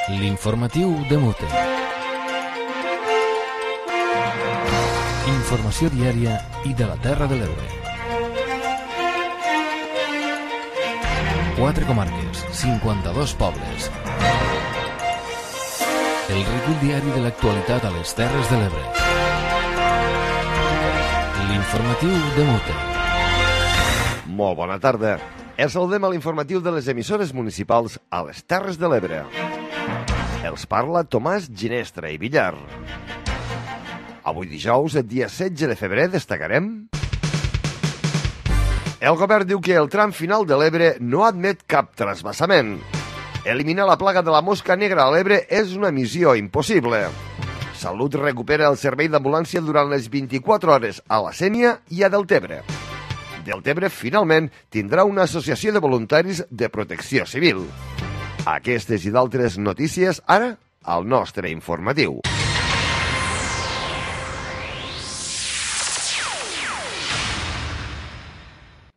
L'informatiu de Mute. Informació diària i de la Terra de l'Ebre. 4 comarques, 52 pobles. El recull diari de l'actualitat a les Terres de l'Ebre. L'informatiu de Mute. Molt bona tarda. Els saludem a l'informatiu de les emissores municipals a les Terres de l'Ebre. Els parla Tomàs Ginestra i Villar. Avui dijous, el dia 16 de febrer, destacarem... El govern diu que el tram final de l'Ebre no admet cap trasbassament. Eliminar la plaga de la mosca negra a l'Ebre és una missió impossible. Salut recupera el servei d'ambulància durant les 24 hores a la Sénia i a Deltebre. Deltebre, finalment, tindrà una associació de voluntaris de protecció civil. Aquestes i d'altres notícies, ara, al nostre informatiu.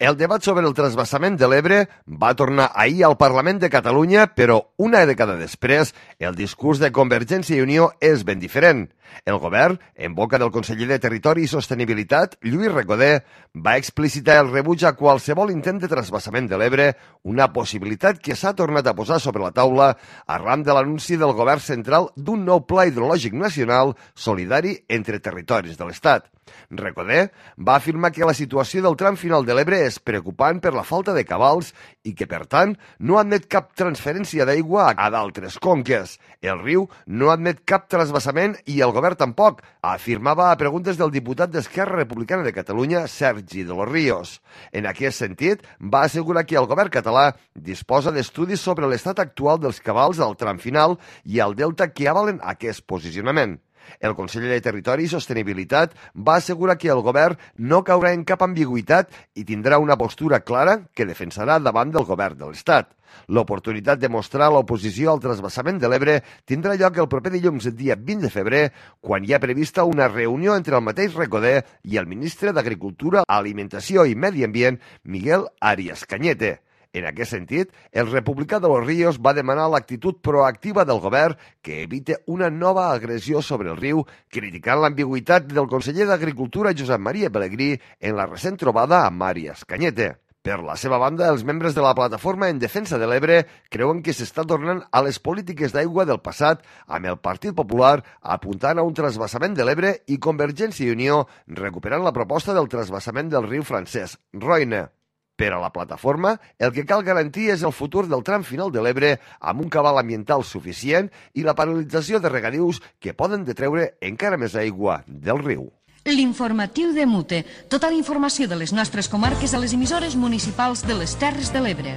El debat sobre el transvasament de l'Ebre va tornar ahir al Parlament de Catalunya, però una dècada després, el discurs de Convergència i Unió és ben diferent. El govern, en boca del conseller de Territori i Sostenibilitat, Lluís Recoder, va explicitar el rebuig a qualsevol intent de transvasament de l'Ebre, una possibilitat que s'ha tornat a posar sobre la taula arran de l'anunci del govern central d'un nou pla hidrològic nacional solidari entre territoris de l'Estat. Recoder va afirmar que la situació del tram final de l'Ebre és preocupant per la falta de cabals i que, per tant, no admet cap transferència d'aigua a d'altres conques. El riu no admet cap transvasament i el govern tampoc, afirmava a preguntes del diputat d'Esquerra Republicana de Catalunya, Sergi de los Ríos. En aquest sentit, va assegurar que el govern català disposa d'estudis sobre l'estat actual dels cabals al tram final i al delta que avalen aquest posicionament. El conseller de Territori i Sostenibilitat va assegurar que el govern no caurà en cap ambigüitat i tindrà una postura clara que defensarà davant del govern de l'Estat. L'oportunitat de mostrar l'oposició al transvasament de l'Ebre tindrà lloc el proper dilluns, el dia 20 de febrer, quan hi ha prevista una reunió entre el mateix Recoder i el ministre d'Agricultura, Alimentació i Medi Ambient, Miguel Arias Cañete. En aquest sentit, el republicà de los Ríos va demanar l'actitud proactiva del govern que evite una nova agressió sobre el riu, criticant l'ambigüitat del conseller d'Agricultura Josep Maria Pelegrí en la recent trobada amb Arias Cañete. Per la seva banda, els membres de la Plataforma en Defensa de l'Ebre creuen que s'està tornant a les polítiques d'aigua del passat, amb el Partit Popular apuntant a un transvasament de l'Ebre i Convergència i Unió recuperant la proposta del transvasament del riu francès, Roine. Per a la plataforma, el que cal garantir és el futur del tram final de l'Ebre amb un cabal ambiental suficient i la paralització de regadius que poden detreure encara més aigua del riu. L'informatiu de Mute. Tota la informació de les nostres comarques a les emissores municipals de les Terres de l'Ebre.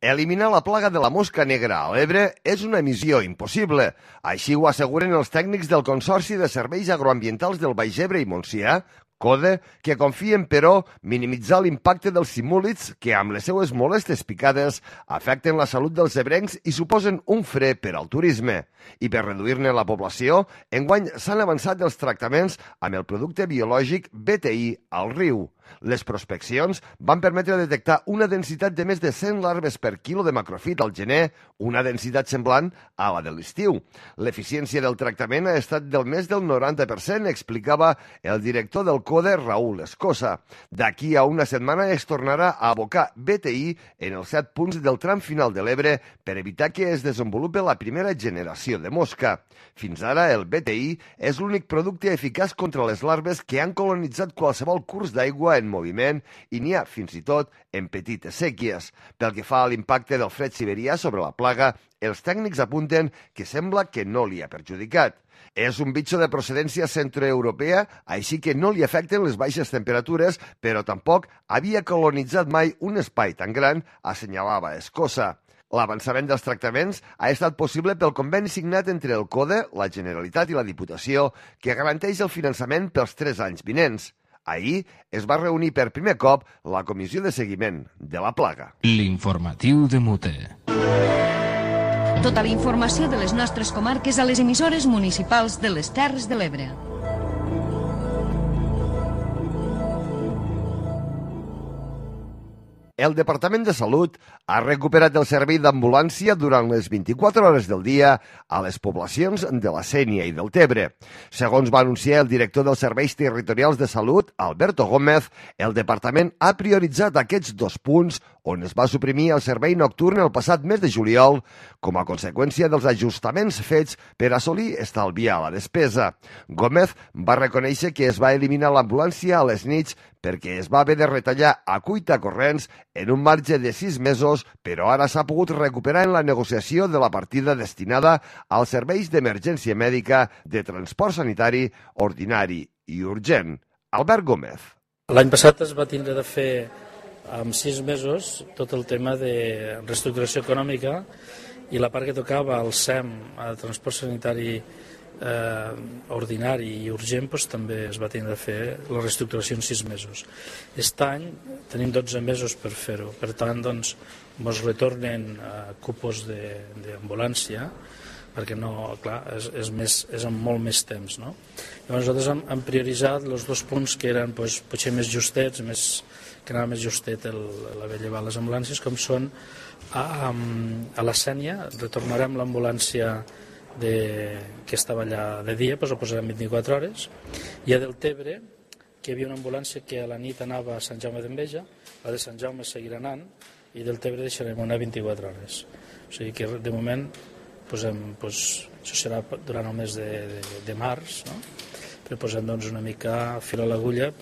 Eliminar la plaga de la mosca negra a l'Ebre és una missió impossible. Així ho asseguren els tècnics del Consorci de Serveis Agroambientals del Baix Ebre i Montsià, CODE, que confien, però, minimitzar l'impacte dels simúlids que, amb les seues molestes picades, afecten la salut dels ebrencs i suposen un fre per al turisme. I per reduir-ne la població, enguany s'han avançat els tractaments amb el producte biològic BTI al riu. Les prospeccions van permetre detectar una densitat de més de 100 larves per quilo de macrofit al gener, una densitat semblant a la de l'estiu. L'eficiència del tractament ha estat del més del 90%, explicava el director del CODE, Raúl Escosa. D'aquí a una setmana es tornarà a abocar BTI en els 7 punts del tram final de l'Ebre per evitar que es desenvolupi la primera generació de mosca. Fins ara, el BTI és l'únic producte eficaç contra les larves que han colonitzat qualsevol curs d'aigua en moviment i n'hi ha, fins i tot, en petites sèquies. Pel que fa a l'impacte del fred siberià sobre la plaga, els tècnics apunten que sembla que no li ha perjudicat. És un bitxo de procedència centroeuropea, així que no li afecten les baixes temperatures, però tampoc havia colonitzat mai un espai tan gran, assenyalava Escosa. L'avançament dels tractaments ha estat possible pel conveni signat entre el CODE, la Generalitat i la Diputació, que garanteix el finançament pels 3 anys vinents. Ahir es va reunir per primer cop la Comissió de Seguiment de la Plaga. L'informatiu de Mute. Tota la informació de les nostres comarques a les emissores municipals de les Terres de l'Ebre. El Departament de Salut ha recuperat el servei d'ambulància durant les 24 hores del dia a les poblacions de la Sénia i del Tebre. Segons va anunciar el director dels Serveis Territorials de Salut, Alberto Gómez, el departament ha prioritzat aquests 2 punts on es va suprimir el servei nocturn el passat mes de juliol com a conseqüència dels ajustaments fets per assolir estalviar la despesa. Gómez va reconèixer que es va eliminar l'ambulància a les nits perquè es va haver de retallar a cuitacorrents en un marge de 6 mesos, però ara s'ha pogut recuperar en la negociació de la partida destinada als serveis d'emergència mèdica de transport sanitari ordinari i urgent. Albert Gómez. L'any passat es va tindre de fer en 6 mesos tot el tema de reestructuració econòmica i la part que tocava al SEM, al transport sanitari ordinari i urgent, doncs, també es va tindre de fer la reestructuració en 6 mesos. Aquest any tenim 12 mesos per fer-ho, per tant doncs, ens retornen cupos d'ambulància perquè no, clar, és amb molt més temps, no? Llavors nosaltres hem prioritzat els 2 punts que eren doncs, potser més justets, que anava més justet l'haver llevat les ambulàncies, com són a la Sénia, retornarem l'ambulància que estava allà de dia, doncs ho posarem 24 hores, i a Deltebre, que hi havia una ambulància que a la nit anava a Sant Jaume d'Enveja, la de Sant Jaume seguirà anant, i Deltebre deixarem anar 24 hores. O sigui que de moment això serà durant el mes de març, no? Però posem doncs, una mica fil a l'agulla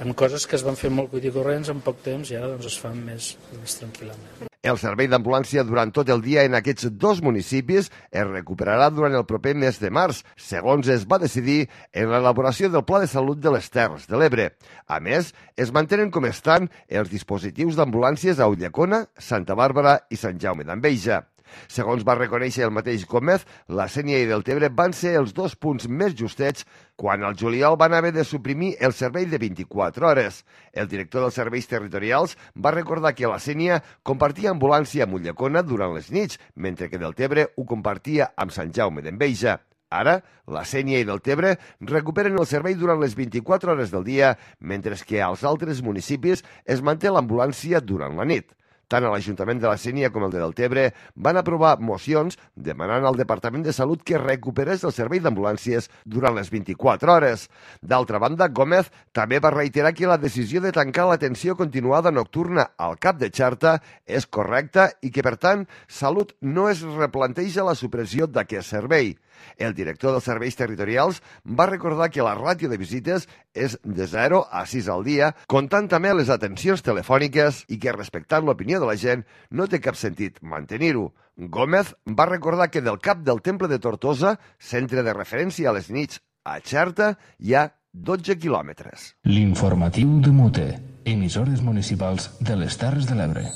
en coses que es van fer molt cuitacorrents en poc temps i ara doncs, es fan més tranquil·lament. El servei d'ambulància durant tot el dia en aquests 2 municipis es recuperarà durant el proper mes de març, segons es va decidir en l'elaboració del Pla de Salut de les Terres de l'Ebre. A més, es mantenen com estan els dispositius d'ambulàncies a Ulldecona, Santa Bàrbara i Sant Jaume d'Enveja. Segons va reconèixer el mateix Gómez, la Sénia i Deltebre van ser els 2 punts més justets quan al juliol van haver de suprimir el servei de 24 hores. El director dels serveis territorials va recordar que la Sénia compartia ambulància amb Ulldecona durant les nits, mentre que Deltebre ho compartia amb Sant Jaume d'Enveja. Ara, la Sénia i Deltebre recuperen el servei durant les 24 hores del dia, mentre que als altres municipis es manté l'ambulància durant la nit. Tant a l'Ajuntament de la Sénia com el de Deltebre van aprovar mocions demanant al Departament de Salut que recuperés el servei d'ambulàncies durant les 24 hores. D'altra banda, Gómez també va reiterar que la decisió de tancar l'atenció continuada nocturna al cap de Xarta és correcta i que, per tant, Salut no es replanteja la supressió d'aquest servei. El director dels serveis territorials va recordar que la ràtio de visites és de 0 a 6 al dia, comptant també les atencions telefòniques i que, respectant l'opinió de la gent, no té cap sentit mantenir-ho. Gómez va recordar que del cap del Temple de Tortosa, centre de referència a les nits a Xerta, hi ha 12 quilòmetres. L'informatiu de Mute, emissores municipals de les Terres de l'Ebre.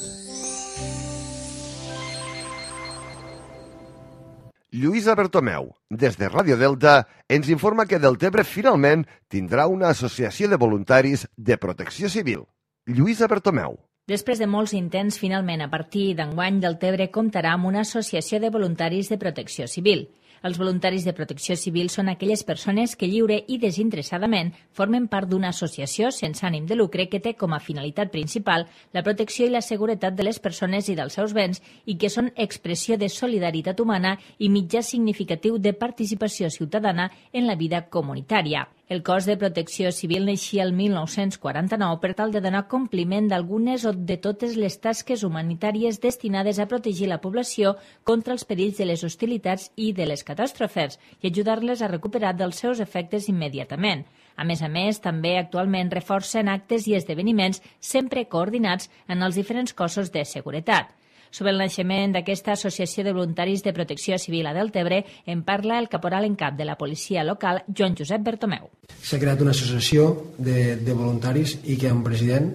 Lluïsa Bertomeu, des de Ràdio Delta, ens informa que Deltebre finalment tindrà una associació de voluntaris de protecció civil. Lluïsa Bertomeu. Després de molts intents, finalment, a partir d'enguany, Deltebre comptarà amb una associació de voluntaris de protecció civil. Els voluntaris de protecció civil són aquelles persones que lliure i desinteressadament formen part d'una associació sense ànim de lucre que té com a finalitat principal la protecció i la seguretat de les persones i dels seus béns i que són expressió de solidaritat humana i mitjà significatiu de participació ciutadana en la vida comunitària. El cos de protecció civil naixia el 1949 per tal de donar compliment d'algunes o de totes les tasques humanitàries destinades a protegir la població contra els perills de les hostilitats i de les catàstrofes i ajudar-les a recuperar dels seus efectes immediatament. A més, també actualment reforcen actes i esdeveniments sempre coordinats en els diferents cossos de seguretat. Sobre el naixement d'aquesta associació de voluntaris de protecció civil a Deltebre en parla el caporal en cap de la policia local, Joan Josep Bertomeu. S'ha creat una associació de voluntaris i que hi ha un president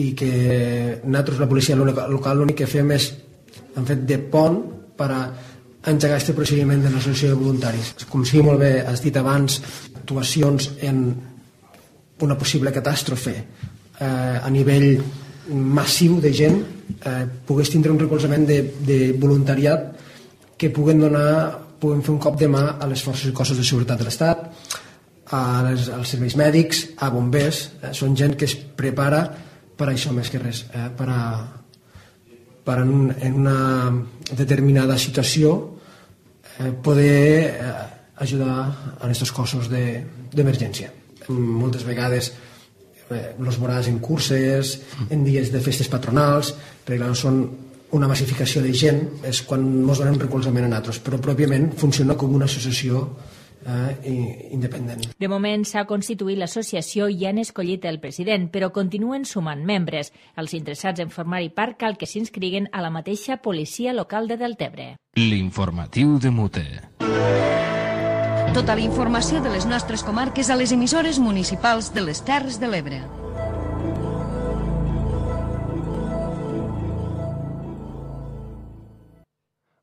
i que nosaltres, la policia local, l'únic que fem és hem fet de pont per a engegar aquest procediment de l'associació de voluntaris. Com sí, molt bé, has dit abans, actuacions en una possible catàstrofe a nivell massiu de gent, pogués tindre un recolzament de voluntariat que puguen fer un cop de mà a les forces i cossos de seguretat de l'Estat, als serveis mèdics, a bombers. Són gent que es prepara per això més que res, per en una determinada situació poder ajudar a aquests cossos d'emergència. Moltes vegades els veuràs en curses, en dies de festes patronals, perquè són una massificació de gent, és quan ens donem recolzament a nosaltres, però pròpiament funciona com una associació independent. De moment s'ha constituït l'associació i han escollit el president, però continuen sumant membres. Els interessats en formar-hi part cal que s'inscriguin a la mateixa policia local de Deltebre. L'informatiu de Mute. Tota la informació de les nostres comarques a les emissores municipals de les Terres de l'Ebre.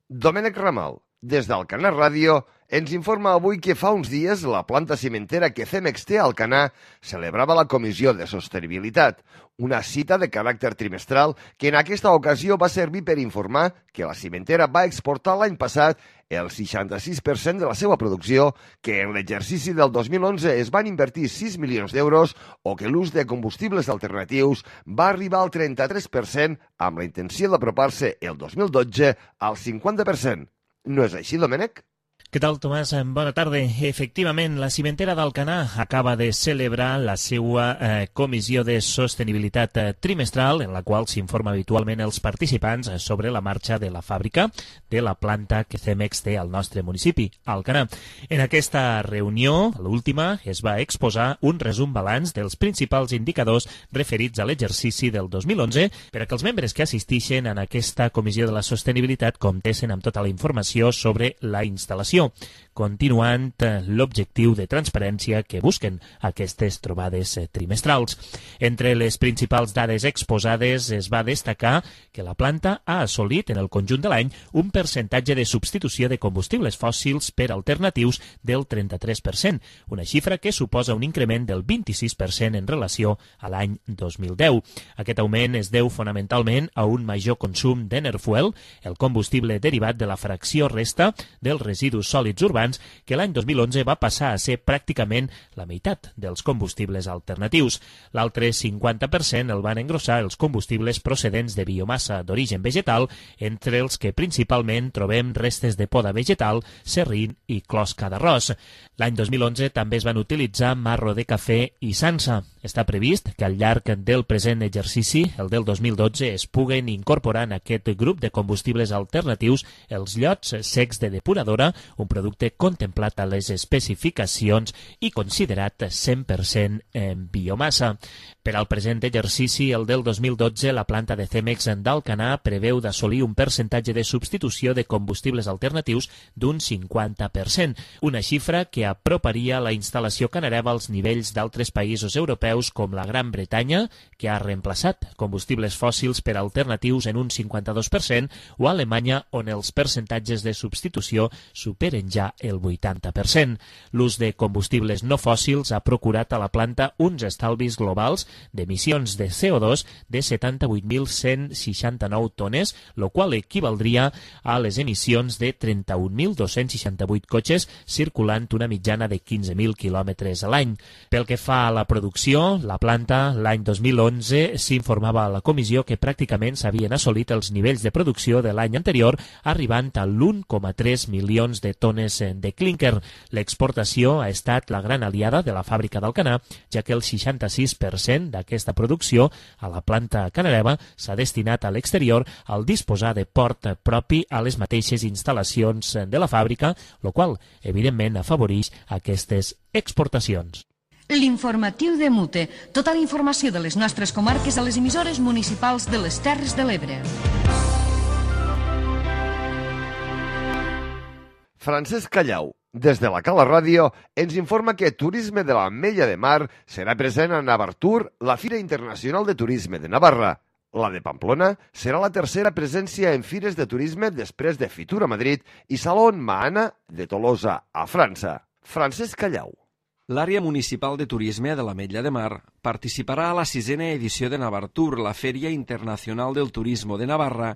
Domènec Ramal, des d'Alcanar Ràdio, ens informa avui que fa uns dies la planta cimentera que Cemex té a Alcanar celebrava la Comissió de Sostenibilitat, una cita de caràcter trimestral que en aquesta ocasió va servir per informar que la cimentera va exportar l'any passat el 66% de la seva producció, que en l'exercici del 2011 es van invertir 6 milions d'euros o que l'ús de combustibles alternatius va arribar al 33% amb la intenció d'apropar-se el 2012 al 50%. No és així, Domènec? Què tal, Tomàs? Bona tarda. Efectivament, la cimentera d'Alcanar acaba de celebrar la seva comissió de sostenibilitat trimestral, en la qual s'informa habitualment els participants sobre la marxa de la fàbrica de la planta que Cemex té al nostre municipi, Alcanar. En aquesta reunió, l'última, es va exposar un resum balanç dels principals indicadors referits a l'exercici del 2011 per a que els membres que assistixen en aquesta comissió de la sostenibilitat comptessin amb tota la informació sobre la instal·lació, continuant l'objectiu de transparència que busquen aquestes trobades trimestrals. Entre les principals dades exposades es va destacar que la planta ha assolit en el conjunt de l'any un percentatge de substitució de combustibles fòssils per alternatius del 33%, una xifra que suposa un increment del 26% en relació a l'any 2010. Aquest augment es deu fonamentalment a un major consum d'Enerfuel, el combustible derivat de la fracció resta dels residus sòlids urbans, que l'any 2011 va passar a ser pràcticament la meitat dels combustibles alternatius. L'altre 50% el van engrossar els combustibles procedents de biomassa d'origen vegetal, entre els que principalment trobem restes de poda vegetal, serrín i closca d'arròs. L'any 2011 també es van utilitzar marro de cafè i sansa. Està previst que al llarg del present exercici, el del 2012, es puguen incorporar en aquest grup de combustibles alternatius els llots secs de depuradora, un producte contemplat a les especificacions i considerat 100% en biomassa. Per al present exercici, el del 2012, la planta de Cemex d'Alcanar preveu d'assolir un percentatge de substitució de combustibles alternatius d'un 50%, una xifra que aproparia la instal·lació canareva als nivells d'altres països europeus com la Gran Bretanya, que ha reemplaçat combustibles fòssils per alternatius en un 52%, o Alemanya, on els percentatges de substitució superen ja el 80%. L'ús de combustibles no fòssils ha procurat a la planta uns estalvis globals d'emissions de CO2 de 78.169 tones, lo qual equivaldria a les emissions de 31.268 cotxes circulant una mitjana de 15.000 quilòmetres a l'any. Pel que fa a la producció, la planta l'any 2011 s'informava a la comissió que pràcticament s'havien assolit els nivells de producció de l'any anterior, arribant a l'1,3 milions de tones de clínquer. L'exportació ha estat la gran aliada de la fàbrica d'Alcanar, ja que el 66% d'aquesta producció a la planta canareva s'ha destinat a l'exterior al disposar de port propi a les mateixes instal·lacions de la fàbrica, el qual, evidentment, afavoreix aquestes exportacions. L'informatiu de Mute. Tota la informació de les nostres comarques a les emissores municipals de les Terres de l'Ebre. Francesc Callau, des de la Cala Ràdio, ens informa que Turisme de l'Ametlla de Mar serà present a Navartur, la Fira Internacional de Turisme de Navarra. La de Pamplona serà la tercera presència en fires de turisme després de Fitur a Madrid i Salon Mahana de Tolosa, a França. Francesc Callau. L'àrea municipal de turisme de l'Ametlla de Mar participarà a la 6a edició de Navartur, la Fèria Internacional del Turismo de Navarra,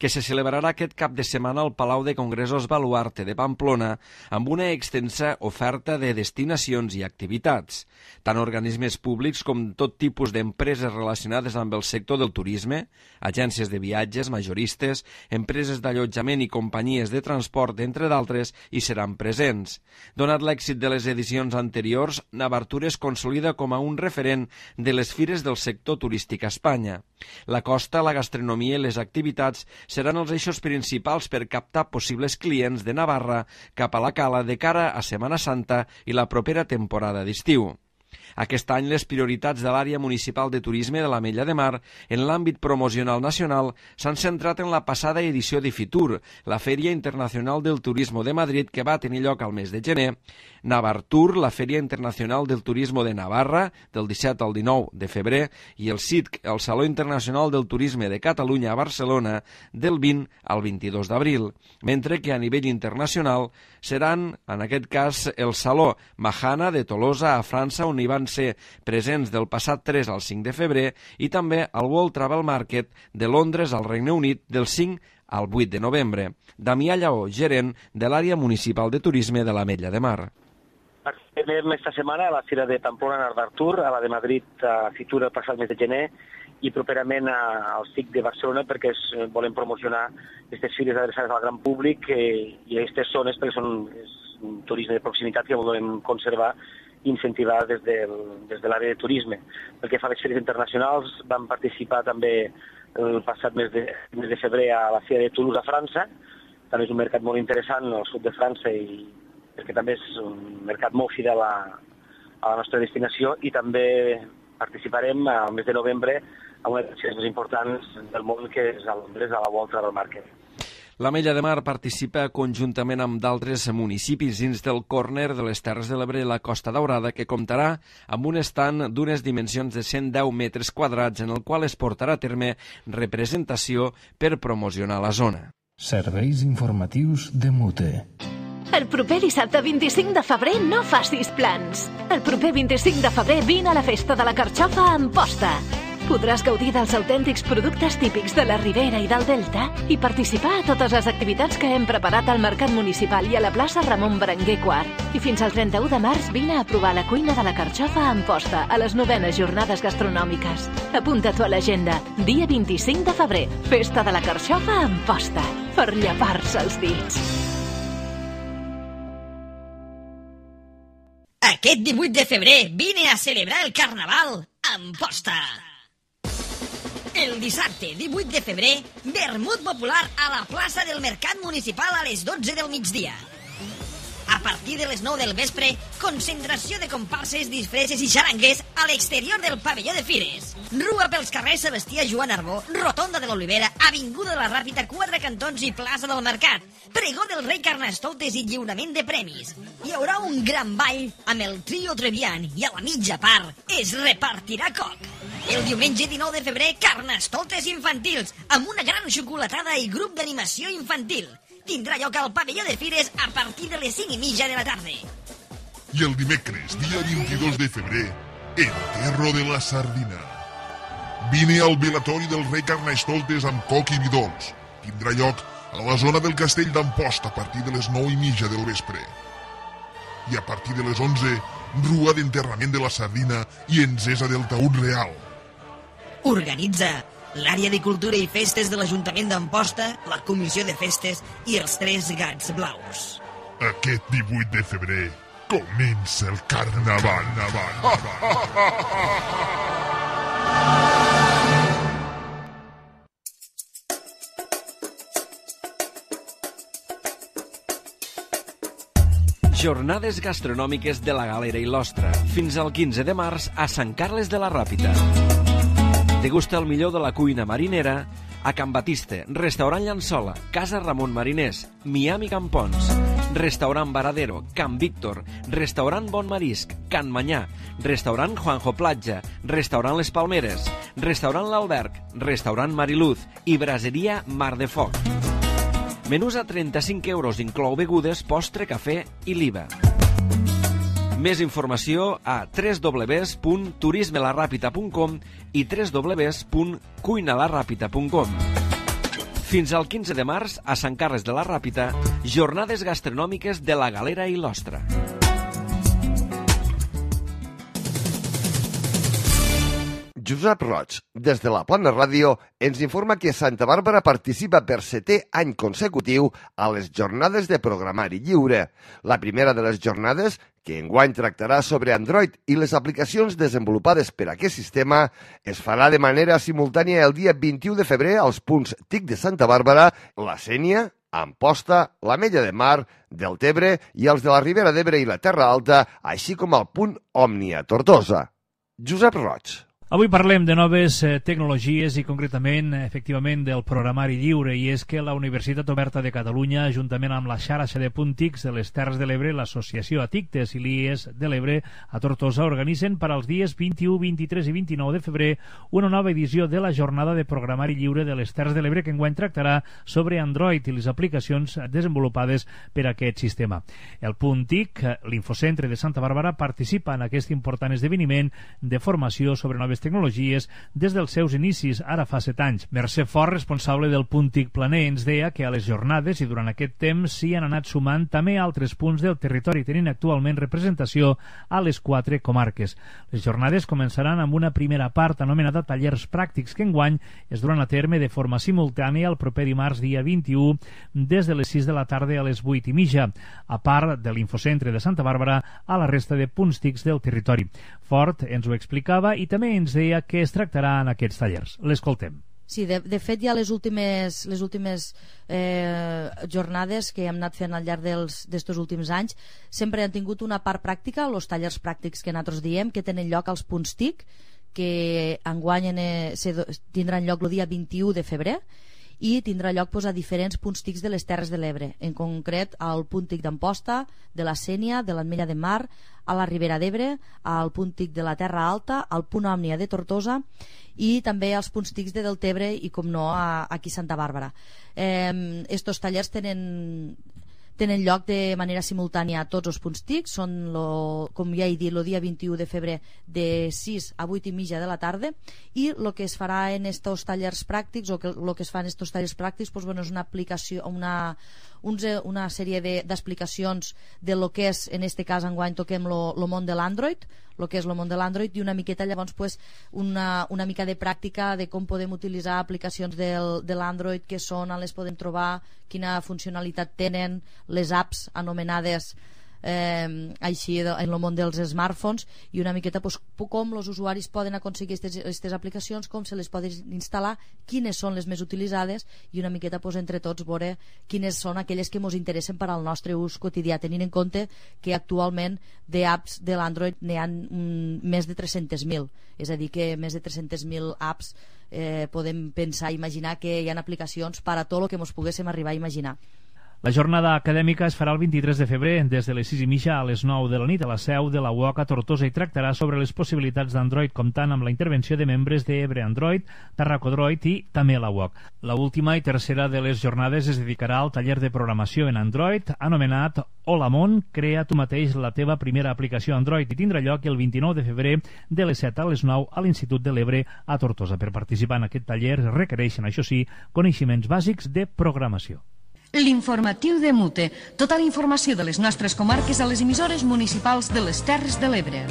que se celebrarà aquest cap de setmana al Palau de Congressos Baluarte de Pamplona, amb una extensa oferta de destinacions i activitats. Tant organismes públics com tot tipus d'empreses relacionades amb el sector del turisme, agències de viatges, majoristes, empreses d'allotjament i companyies de transport, entre d'altres, hi seran presents. Donat l'èxit de les edicions anteriors, Navartur es consolida com a un referent de les fires del sector turístic a Espanya. La costa, la gastronomia i les activitats seran els eixos principals per captar possibles clients de Navarra cap a la Cala de cara a Setmana Santa i la propera temporada d'estiu. Aquest any les prioritats de l'àrea municipal de turisme de l'Ametlla de Mar en l'àmbit promocional nacional s'han centrat en la passada edició de Fitur, la Fèria Internacional del Turismo de Madrid, que va tenir lloc al mes de gener, Navartur, la Fèria Internacional del Turismo de Navarra, del 17 al 19 de febrer, i el CITC, el Saló Internacional del Turisme de Catalunya a Barcelona, del 20 al 22 d'abril, mentre que a nivell internacional seran, en aquest cas, el Saló Mahana de Tolosa a França, on hi van ser presents del passat 3 al 5 de febrer, i també el World Travel Market de Londres al Regne Unit del 5 al 8 de novembre. Damià Lleó, gerent de l'àrea municipal de turisme de l'Ametlla de Mar. Participem esta setmana a la Fira de Pamplona a Navartur, a la de Madrid a Fitur el passat mes de gener i properament al CIC de Barcelona perquè volem promocionar aquestes fires adreçades al gran públic i aquestes zones perquè són un turisme de proximitat que volem conservar i incentivar des de l'àrea de turisme. Pel que fa a les fires internacionals, vam participar també el passat mes de febrer a la Fira de Toulouse a França. També és un mercat molt interessant al sud de França i perquè també és un mercat molt fidel a la nostra destinació i també participarem al mes de novembre a una de les fires més importants del món que és a Londres, a la World Travel Market. L'Ametlla de Mar participa conjuntament amb d'altres municipis dins del córner de les Terres de l'Ebre i la Costa Daurada, que comptarà amb un estand d'unes dimensions de 110 metres quadrats en el qual es portarà a terme representació per promocionar la zona. Serveis informatius de Mute. El proper dissabte 25 de febrer no facis plans. El proper 25 de febrer vine a la Festa de la Carxofa a Amposta. Podràs gaudir dels autèntics productes típics de la Ribera i del Delta i participar a totes les activitats que hem preparat al Mercat Municipal i a la plaça Ramon Berenguer IV. I fins al 31 de març vine a provar la cuina de la Carxofa a Amposta a les 9enes jornades gastronòmiques. Apunta-t'ho a l'agenda. Dia 25 de febrer. Festa de la Carxofa a Amposta. Per llepar-se els dits. Aquest 18 de febrer vine a celebrar el Carnaval a Amposta. El dissabte 18 de febrer, vermut popular a la plaça del Mercat Municipal a les 12 del migdia. A partir de les 9 del vespre, concentració de comparses, disfresses i xarangues a l'exterior del pavelló de Fires. Rua pels carrers Sebastià Joan Arbó, Rotonda de l'Olivera, Avinguda de la Ràpita, Quatre Cantons i plaça del Mercat. Pregó del rei Carnestoltes i lliurament de premis. Hi haurà un gran ball amb el trio Trevian i a la mitja part es repartirà coc. El diumenge 19 de febrer, Carnestoltes infantils, amb una gran xocolatada i grup d'animació infantil. Tindrà lloc al pavelló de Fires a partir de les 5:30 de la tarda. I el dimecres, dia 22 de febrer, Enterro de la Sardina. Vine al velatori del rei Carnestoltes amb coc i vi dolç. Tindrà lloc a la zona del castell d'Amposta a partir de les 9:30 del vespre. I a partir de les 11, rua d'enterrament de la sardina i encesa del taüt real. Organitza l'àrea de cultura i festes de l'Ajuntament d'Amposta, la Comissió de Festes i els Tres Gats Blaus. Aquest 18 de febrer comença el Carnaval. Jornades gastronòmiques de la Galera i l'Ostra, fins al 15 de març a Sant Carles de la Ràpita. Degusta el millor de la cuina marinera a Can Batiste, Restaurant Llançola, Casa Ramon Mariners, Miami Campons, Restaurant Varadero, Can Víctor, Restaurant Bon Marisc, Can Manyà, Restaurant Juanjo Platja, Restaurant Les Palmeres, Restaurant L'Alberg, Restaurant Mariluz i Braseria Mar de Foc. Menús a 35 euros, inclou begudes, postre, cafè i l'IVA. Més informació a www.turismelarapita.com i www.cuinalarapita.com. Fins al 15 de març, a Sant Carles de la Ràpita, jornades gastronòmiques de la Galera i l'Ostra. Josep Roig, des de la Plana Ràdio, ens informa que Santa Bàrbara participa per 7è any consecutiu a les jornades de programari lliure. La primera de les jornades, que enguany tractarà sobre Android i les aplicacions desenvolupades per aquest sistema, es farà de manera simultània el dia 21 de febrer als punts TIC de Santa Bàrbara, la Sénia, Amposta, l'Ametlla de Mar, Deltebre i els de la Ribera d'Ebre i la Terra Alta, així com el punt Òmnia, Tortosa. Josep Roig. Avui parlem de noves tecnologies i concretament, efectivament, del programari lliure, i és que la Universitat Oberta de Catalunya, juntament amb la xarxa de puntics de les Terres de l'Ebre, l'Associació Atictes i l'IES de l'Ebre a Tortosa, organitzen per als dies 21, 23 i 29 de febrer una nova edició de la jornada de programari lliure de les Terres de l'Ebre que enguany tractarà sobre Android i les aplicacions desenvolupades per a aquest sistema. El punt TIC, l'Infocentre de Santa Bàrbara, participa en aquest important esdeveniment de formació sobre noves tecnologies des dels seus inicis, ara fa 7 anys. Mercè Fort, responsable del punt TIC Planer, ens deia que a les jornades i durant aquest temps s'hi han anat sumant també altres punts del territori, tenint actualment representació a les 4 comarques. Les jornades començaran amb una primera part anomenada tallers pràctics que enguany es duran a terme de forma simultània el proper dimarts dia 21 des de les 6 de la tarda a les 8:30, a part de l'Infocentre de Santa Bàrbara a la resta de punts TICs del territori. Fort ens ho explicava i també ens deia que es tractarà en aquests tallers. L'escoltem. Sí, de fet ja les últimes jornades que hem anat fent al llarg d'estos últims anys sempre han tingut una part pràctica, els tallers pràctics que nosaltres diem, que tenen lloc als punts TIC, que enguany tindran lloc el dia 21 de febrer i tindrà lloc a diferents punts TICs de les Terres de l'Ebre, en concret al punt TIC d'Amposta, de la Sénia, de l'Ametlla de Mar, a la Ribera d'Ebre, al punt TIC de la Terra Alta, al punt Òmnia de Tortosa i també als punts TICs de Deltebre i, com no, aquí a Santa Bàrbara. Estos tallers tenen lloc de manera simultània a tots els punts TIC, són, com ja he dit, el dia 21 de febrer de 6 a 8:30 de la tarda, i el que es farà en estos tallers pràctics, o el que es fa en estos tallers pràctics, és una aplicació, una sèrie d'explicacions de lo que és, en este cas enguany toquem el món de l'Android, el que és el món de l'Android, i una miqueta llavors una mica de pràctica de com podem utilitzar aplicacions de l'Android, què són, on les podem trobar, quina funcionalitat tenen, les apps anomenades així en el món dels smartphones, i una miqueta com els usuaris poden aconseguir aquestes aplicacions, com se les poden instal·lar, quines són les més utilitzades, i una miqueta entre tots veure quines són aquelles que ens interessen per al nostre ús quotidià, tenint en compte que actualment d'apps de l'Android n'hi ha més de 300.000, és a dir que més de 300.000 apps podem pensar i imaginar que hi ha aplicacions per a tot el que ens poguéssim arribar a imaginar. La jornada acadèmica es farà el 23 de febrer des de les 6:30 a les 9 de la nit a la seu de la UOC a Tortosa i tractarà sobre les possibilitats d'Android, comptant amb la intervenció de membres d'Ebre Android, Tarracodroid i també la UOC. La última i tercera de les jornades es dedicarà al taller de programació en Android anomenat Hola Món, crea tu mateix la teva primera aplicació Android, i tindrà lloc el 29 de febrer de les 7 a les 9 a l'Institut de l'Ebre a Tortosa. Per participar en aquest taller es requereixen, això sí, coneixements bàsics de programació. L'informatiu de Mute. Tota la informació de les nostres comarques a les emissores municipals de les Terres de l'Ebre.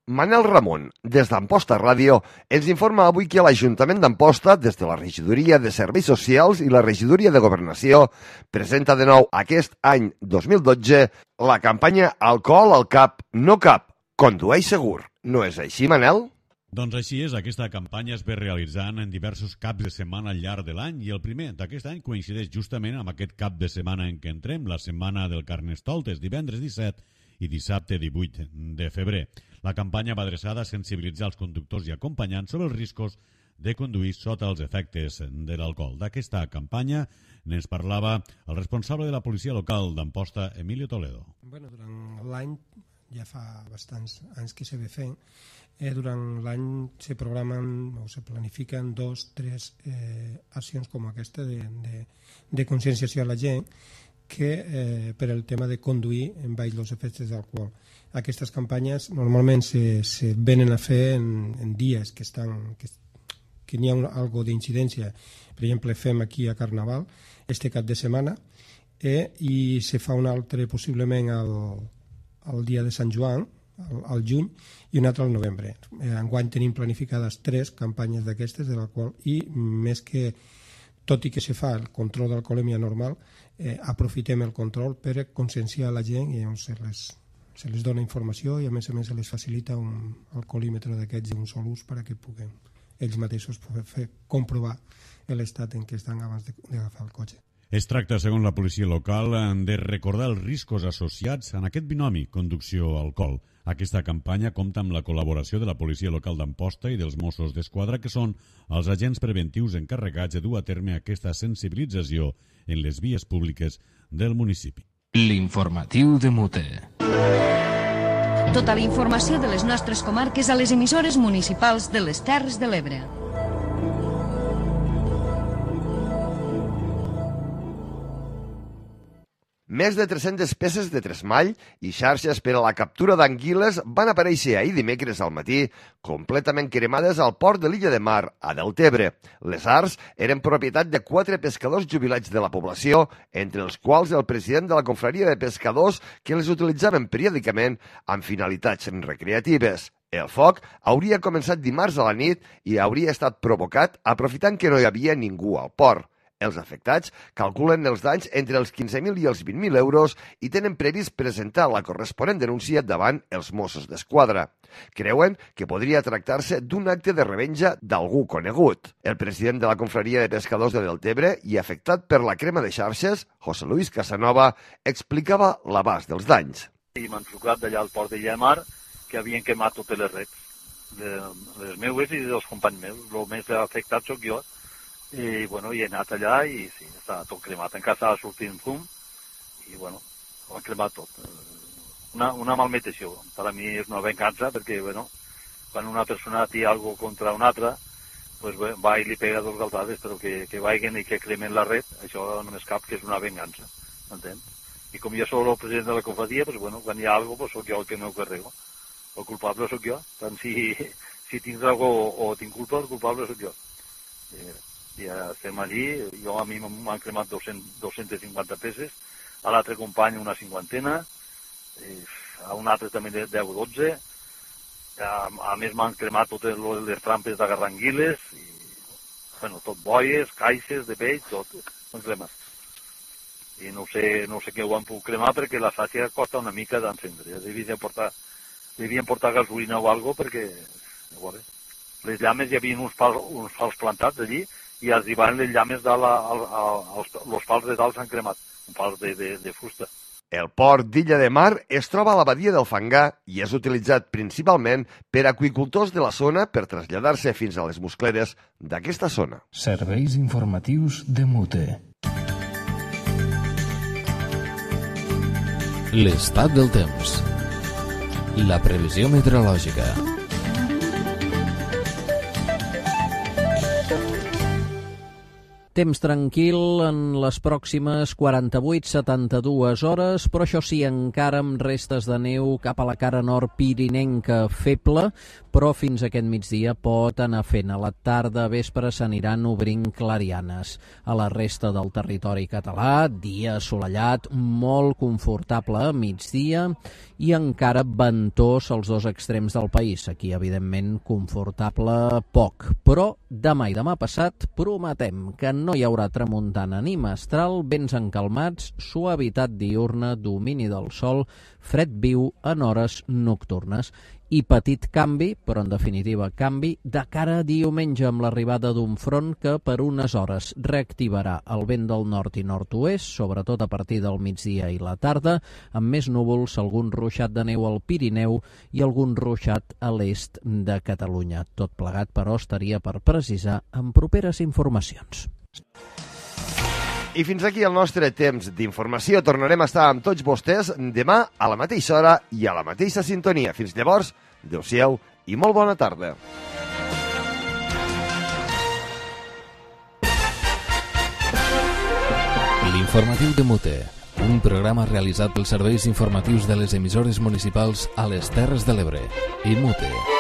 Manel Ramon, des d'Amposta Ràdio, ens informa avui que l'Ajuntament d'Amposta, des de la Regidoria de Serveis Socials i la Regidoria de Governació, presenta de nou aquest any 2012 la campanya Alcohol al cap, no cap, condueix segur. No és així, Manel? Doncs així és, aquesta campanya es ve realitzant en diversos caps de setmana al llarg de l'any, i el primer d'aquest any coincideix justament amb aquest cap de setmana en què entrem, la setmana del Carnestoltes, divendres 17 i dissabte 18 de febrer. La campanya va adreçada a sensibilitzar els conductors i acompanyants sobre els riscos de conduir sota els efectes de l'alcohol. D'aquesta campanya n'ens parlava el responsable de la policia local d'Amposta, Emilio Toledo. Durant l'any, ja fa bastants anys que se ve fent, durant l'any se programen o se planifiquen 2 o 3 accions com aquesta de conscienciació a la gent, que per el tema de conduir en baix els efectes d'alcohol. Aquestes campanyes normalment se venen a fer en dies que n'hi ha algo d'incidència. Per exemple, fem aquí a Carnaval este cap de setmana i se fa un altre possiblement el dia de Sant Joan, al juny, i un altre al novembre. Enguany tenim planificades 3 campanyes d'aquestes, de la qual, i més que, tot i que se fa el control d'alcoholèmia normal, aprofitem el control per conscienciar la gent i se les dona informació i a més se les facilita un alcoholímetre d'aquests d'un sol ús perquè puguen ells mateixos comprovar l'estat en què estan abans d'agafar el cotxe. Es tracta, segons la policia local, de recordar els riscos associats en aquest binomi conducció-alcohol. Aquesta campanya compta amb la col·laboració de la policia local d'Amposta i dels Mossos d'Esquadra, que són els agents preventius encarregats de dur a terme aquesta sensibilització en les vies públiques del municipi. L'informatiu de Mute. Tota la informació de les nostres comarques a les emissores municipals de les Terres de l'Ebre. Més de 300 peces de tresmall i xarxes per a la captura d'anguiles van aparèixer ahir dimecres al matí completament cremades al port de l'Illa de Mar, a Deltebre. Les arts eren propietat de 4 pescadors jubilats de la població, entre els quals el president de la confraria de pescadors que les utilitzaven periòdicament amb finalitats recreatives. El foc hauria començat dimarts a la nit i hauria estat provocat aprofitant que no hi havia ningú al port. Els afectats calculen els danys entre els 15.000 i els 20.000 euros i tenen previst presentar la corresponent denúncia davant els Mossos d'Esquadra. Creuen que podria tractar-se d'un acte de revenja d'algú conegut. El president de la confraria de pescadors de Deltebre i afectat per la crema de xarxes, José Luis Casanova, explicava l'abast dels danys. I m'han trucat d'allà al port de Llamar que havien quemat totes les rets, les meues i dels companys meus. El més afectat sóc jo. I he anat allà i sí, està tot cremat. Encara estava sortint fum i ho han cremat tot. Una malmetació. Per a mi és una vengança perquè quan una persona té alguna cosa contra una altra va i li pega 2 galtades, però que vagin i que cremen la red, això només cap que és una vengança, m'entens? I com jo soc el president de la confraria, quan hi ha alguna cosa soc jo el que m'ho carrego. El culpable sóc jo. Tant si tinc alguna cosa o tinc culpa, el culpable sóc jo. Ja estem allí, a mi m'han cremat 250 peces, a l'altre company una 50, a un altre també 10 o 12, a més m'han cremat totes les trampes d'agarrar anguiles, tot boies, caixes de peix, tot, m'han cremat. I no sé què ho han pogut cremar perquè la sàcia costa una mica d'encendre, devien portar gasolina o alguna cosa perquè, les llames hi havia uns pals plantats allí, i arribaven les llames els pals de dalt s'han cremat, un pals de fusta. El port d'Illa de Mar es troba a la badia del Fangar i és utilitzat principalment per aqüicultors de la zona per traslladar-se fins a les muscleres d'aquesta zona. Serveis informatius de Mute. L'estat del temps. La previsió meteorològica. Temps tranquil en les pròximes 48-72 hores, però això sí, encara amb restes de neu cap a la cara nord pirinenca feble, però fins aquest migdia pot anar fent. A la tarda, vespre, s'aniran obrint clarianes. A la resta del territori català, dia assolellat, molt confortable a migdia i encara ventós als 2 extrems del país. Aquí, evidentment, confortable poc. Però demà i demà passat prometem que no hi haurà tramuntana ni mestral, vents encalmats, suavitat diürna, domini del sol, fred viu en hores nocturnes. I petit canvi, però en definitiva canvi, de cara a diumenge amb l'arribada d'un front que per unes hores reactivarà el vent del nord i nord-oest, sobretot a partir del migdia i la tarda, amb més núvols, algun ruixat de neu al Pirineu i algun ruixat a l'est de Catalunya. Tot plegat, però, estaria per precisar en properes informacions. I fins aquí el nostre temps d'informació. Tornarem a estar amb tots vostès demà a la mateixa hora i a la mateixa sintonia. Fins llavors, adeu-siau i molt bona tarda. L'informatiu de Mute, un programa realitzat pels serveis informatius de les emissores municipals a les Terres de l'Ebre. IMUTE.